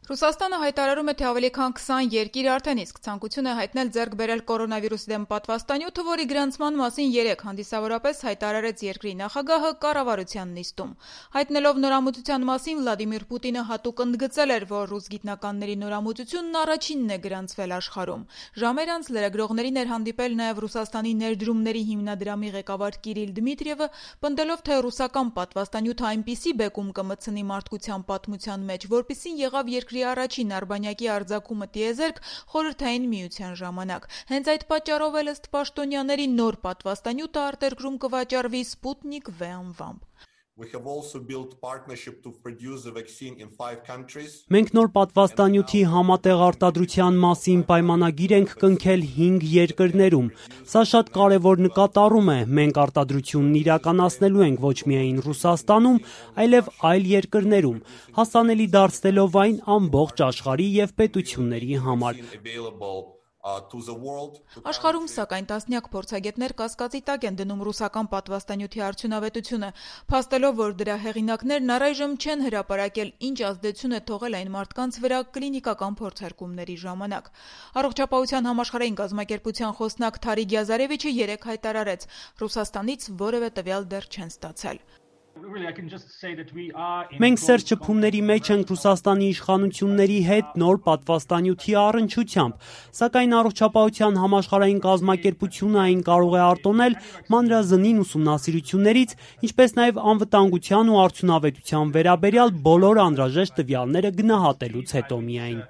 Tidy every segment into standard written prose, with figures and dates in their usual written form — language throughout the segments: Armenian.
Ռուսաստանը հայտարարում է, թե ավելի քան 20 երկիր արդեն իսկ ցանկություն է հայտնել ձեռք բերել կորոնավիրուսի դեմ պատվաստանյութը, որի գրանցման մասին 3 հանդիսավորապես հայտարարեց երկրի նախագահը կառավարության նիստում։ Հայտնելով նորամուծության մասին Վլադիմիր Պուտինը հատուկ ընդգծել էր, որ ռուս գիտնականների նորամուծությունն առաջինն է գրանցվել աշխարհում։ Ժամեր անց լրագրողներին էր հանդիպել նաև Ռուսաստանի ներդրումների հիմնադրամի ղեկավար Կիրիլ Դմիտրիևը, պնդելով, թե ռուսական պատվաստանյութը այնպիսի բեկում կմտցնի մարդկության պատմության մեջ, որպիսին եղավ երկրի առաջին արբանյակի արձակումը տիեզերք խորհրդային միության ժամանակ։ Հենց այդ պատճառով էլ ըստ պաշտոնյաների նոր պատվաստանյութը արտերկրում կվաճառվի Sputnik V անվամբ։ Մենք նոր պատվաստանյութի համատեղ արտադրության մասին պայմանագիր ենք կնքել 5 երկրներում։ Սա շատ կարևոր նկատառում է։ Մենք արտադրությունն իրականացնելու ենք ոչ միայն Ռուսաստանում, այլև այլ երկրներում, հասանելի դարձնելով այն ամբողջ աշխարհի եւ պետությունների համար։ Աշխարհում, սակայն, տասնյակ փորձագետներ կասկածի տակ են դնում ռուսական պատվաստանյութի արդյունավետությունը, փաստելով, որ դրա հեղինակներն առայժմ չեն հրապարակել ինչ ազդեցություն է թողել այն մարդկանց վրա կլինիկական փորձարկումների ժամանակ։ Առողջապահության համաշխարհային կազմակերպության խոսնակ Թարիկ Գյազարևիչը 3 հայտարարեց, Ռուսաստանից որևէ տվյալ դեռ չեն ստացել։ Մենք սերտ շփումների մեջ ենք Ռուսաստանի իշխանությունների հետ նոր պատվաստանյութի առնչությամբ, սակայն առողջապահության համաշխարհային կազմակերպությունը այն կարող է արտոնել մանրազնին ուսումնասիրություններից, ինչպես նաև անվտանգության ու արդյունավետության վերաբերյալ բոլոր անհրաժեշտ տվյալները գնահատելուց հետո միայն։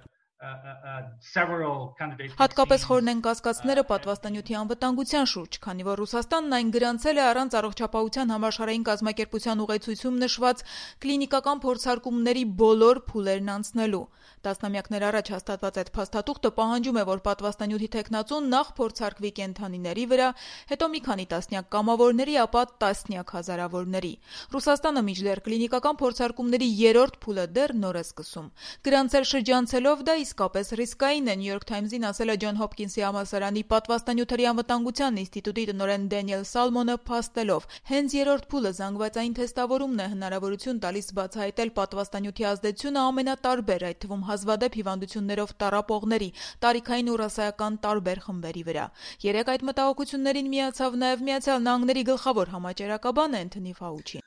Հատկապես խորն են կասկածները պատվաստանյութի անվտանգության շուրջ, քանի որ Ռուսաստանն այն գրանցել է առանց առողջապահության համաշխարհային կազմակերպության ուղեցույցում նշված կլինիկական փորձարկումների բոլոր փուլերն անցնելու։ Տասնամյակներ առաջ հաստատված այդ փաստաթուղթը պահանջում է, որ պատվաստանյութի թեկնածուն նախ փորձարկվի կենդանիների վրա, հետո մի քանի տասնյակ կամավորների, ապա տասնյակ հազարավորների։ Ռուսաստանը մինչդեռ կլինիկական փորձարկումների 3-րդ փուլը դեռ նոր է սկսում։ Գրանցել շրջանցելով դա իսկապես ռիսկային է, New York Times-ին ասել է Ջոն Հոփքինսի համալսարանի պատվաստանյութերի անվտանգության ինստիտուտի տնօրեն Դենիել Սալմոնը, փաստելով, հենց 3-րդ փուլը զանգվածային թեստավորումն է հնարավորություն տալիս բացահայտել պատվաստանյութի ազդեցությունը ամենատարբեր, այդ թվում հազվադեպ հիվանդություններով տառապողների, տարիքային ու ռասայական տարբեր խմբերի վրա։ 3 այդ մտահոգություններին միացավ նաև Միացյալ Նահանգների գլխավոր համաճարակաբան Էնթոնի Ֆաուչին։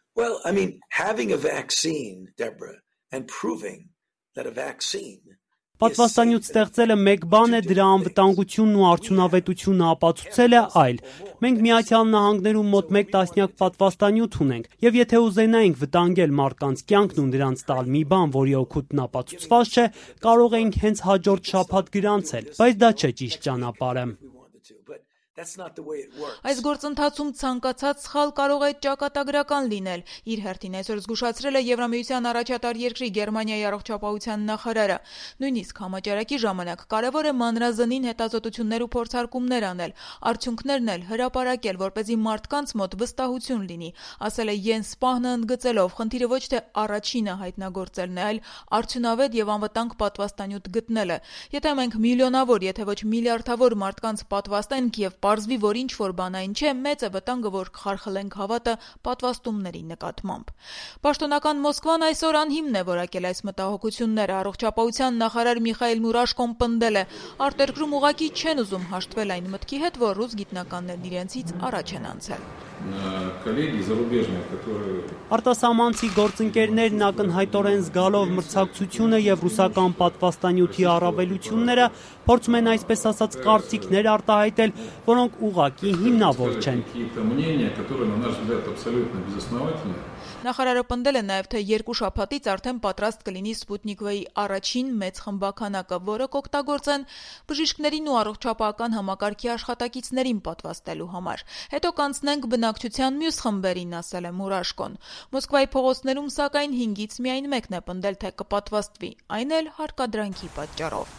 Having a vaccine, Deborah, and proving that a vaccine Պատվաստանյութ ստեղծելը մեկ բան է, դրա անվտանգությունն ու արդյունավետությունը ապացուցելը այլ։ Մենք Միացյալ Նահանգներում մոտ 1 տասնյակ պատվաստանյութ ունենք, եւ եթե ուզենայինք վտանգել մարդկանց կյանքն ու նրանց տալ մի բան, որի օգուտն ապացուցված չէ, կարող էինք հենց հաջորդ շաբաթ գրանցել, բայց դա չէ ճիշտ ճանապարհը։ Այս գործընթացում ցանկացած սխալ կարող է ճակատագրական լինել, իր հերթին այսօր զգուշացրել է Եվրամիության առաջատար երկրի Գերմանիայի առողջապահության նախարարը։ Նույնիսկ համաճարակի ժամանակ կարևոր է մանրազնին հետազոտություններ ու փորձարկումներ անել, արդյունքներն էլ հրապարակել, որպեսզի մարդկանց մոտ վստահություն լինի, ասել է Յենս Սպահնը ընդգծելով, խնդիրը ոչ թե առաջինը հայտնագործելն է, այլ արդյունավետ եւ անվտանգ պատվաստանյութ գտնելը։ Եթե մենք միլիոնավոր, եթե ոչ միլիարդավոր մարդկանց պատվաստենք եւ պարզվի, որ ինչ-որ բան այն չէ, մեծ է վտանգը, որ կխարխլենք հավատը պատվաստումների նկատմամբ։ Պաշտոնական Մոսկվան այսօր անհիմն է որակել այս մտահոգությունները։ Առողջապահության նախարար Միխայիլ Մուրաշկոն պնդել է, արտերկրում ուղղակի չեն ուզում հաշտվել այն մտքի հետ, որ ռուս գիտնականներն իրենցից առաջ են անցել։ Արտասահմանցի գործընկերներն ակնհայտորեն զգալով մրցակցությունը եւ ռուսական պատվաստանյութի առավելությունները փորձում են այսպես ասած կարծիքներ արտահայտել, որոնք ուղղակի հիմնավոր չեն։ Նախարարը պնդել է նաև, թե 2 շաբաթից արդեն պատրաստ կլինի Sputnik V-ի առաջին մեծ խմբականակը, որը կօգտագործեն բժիշկներին ու առողջապահական համակարգի աշխատակիցներին պատվաստելու համար։ Հետո կանցնենք բնակչության մյուս խմբերին, ասել է Մուրաշկոն։ Մոսկվայի փողոցներում, սակայն 5-ից միայն մեկն է պնդել, թե կպատվաստվի, այն էլ հարկադրանքի պատճառով։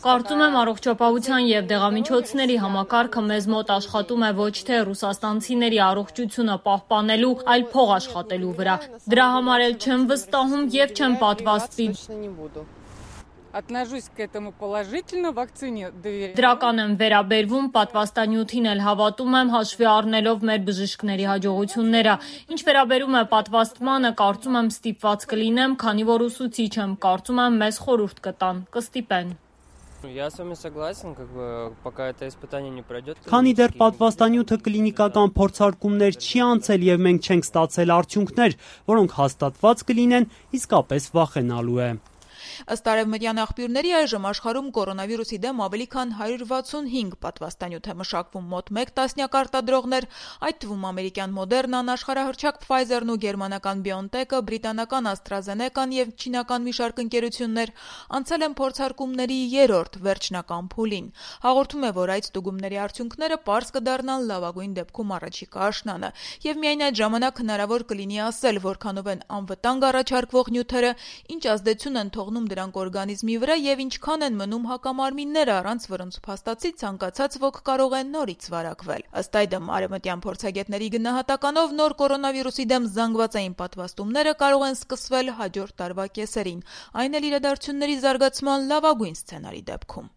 Կարծում եմ առողջապահության եւ դեղամիջոցների համակարգը մեզ մոտ աշխատում է ոչ թե ռուսաստանցիների առողջությունը պահպանելու, այլ փող աշխատելու վրա։ Դրա համար էլ չեմ վստահում եւ չեմ պատվաստվի։ Отношусь к этому положительно, вакцине доверяю. Դրական եմ վերաբերվում, պատվաստանյութին էլ հավատում եմ, հաշվի առնելով մեր բժիշկների հաջողությունները։ Ինչ վերաբերում է պատվաստմանը, կարծում եմ ստիպված կլինեմ, քանի որ ուսուցիչ եմ, կարծում եմ մեզ խորհուրդ կտան, կստիպեն։ Я с вами согласен, пока это испытание не пройдет. Քանի դեռ պատվաստանյութը կլինիկական փորձարկումներ չի անցել եւ մենք չենք ստացել արդյունքներ, որոնք հաստատված կլինեն, իսկապես վախենալու է։ Ըստ արևմտյան աղբյուրների այժմ աշխարհում կորոնավիրուսի դեմ ավելի քան 165 պատվաստանյութ է մշակվում, մոտ 1 տասնյակ արտադրողներ, այդ թվում ամերիկյան Մոդեռնան, աշխարհահռչակ Pfizer-ն ու գերմանական BioNTech-ը, բրիտանական AstraZeneca-ն եւ չինական մի շարք ընկերություններ անցել են փորձարկումների 3-րդ վերջնական փուլին։ Հաղորդում է, որ այդ ստուգումների արդյունքները պարզ կդառնան լավագույն դեպքում առաջիկա աշնանը, եւ միայն այդ ժամանակ հնարավոր կլինի ասել, որքանով են անվտանգ առաջարկվող նյութերը, ինչ ազդեցություն են թողնում դրանք օրգանիզմի վրա եւ ինչքան են մնում հակամարմինները, առանց որոնց փաստացի ցանկացած ոք կարող է նորից վարակվել։ Ըստ այդմ արևմտյան փորձագետների գնահատականով նոր կորոնավիրուսի դեմ զանգվածային պատվաստումները կարող են սկսվել հաջորդ տարվա կեսերին, այն էլ իրադարձությունների զարգացման լավագույն սցենարի դեպքում։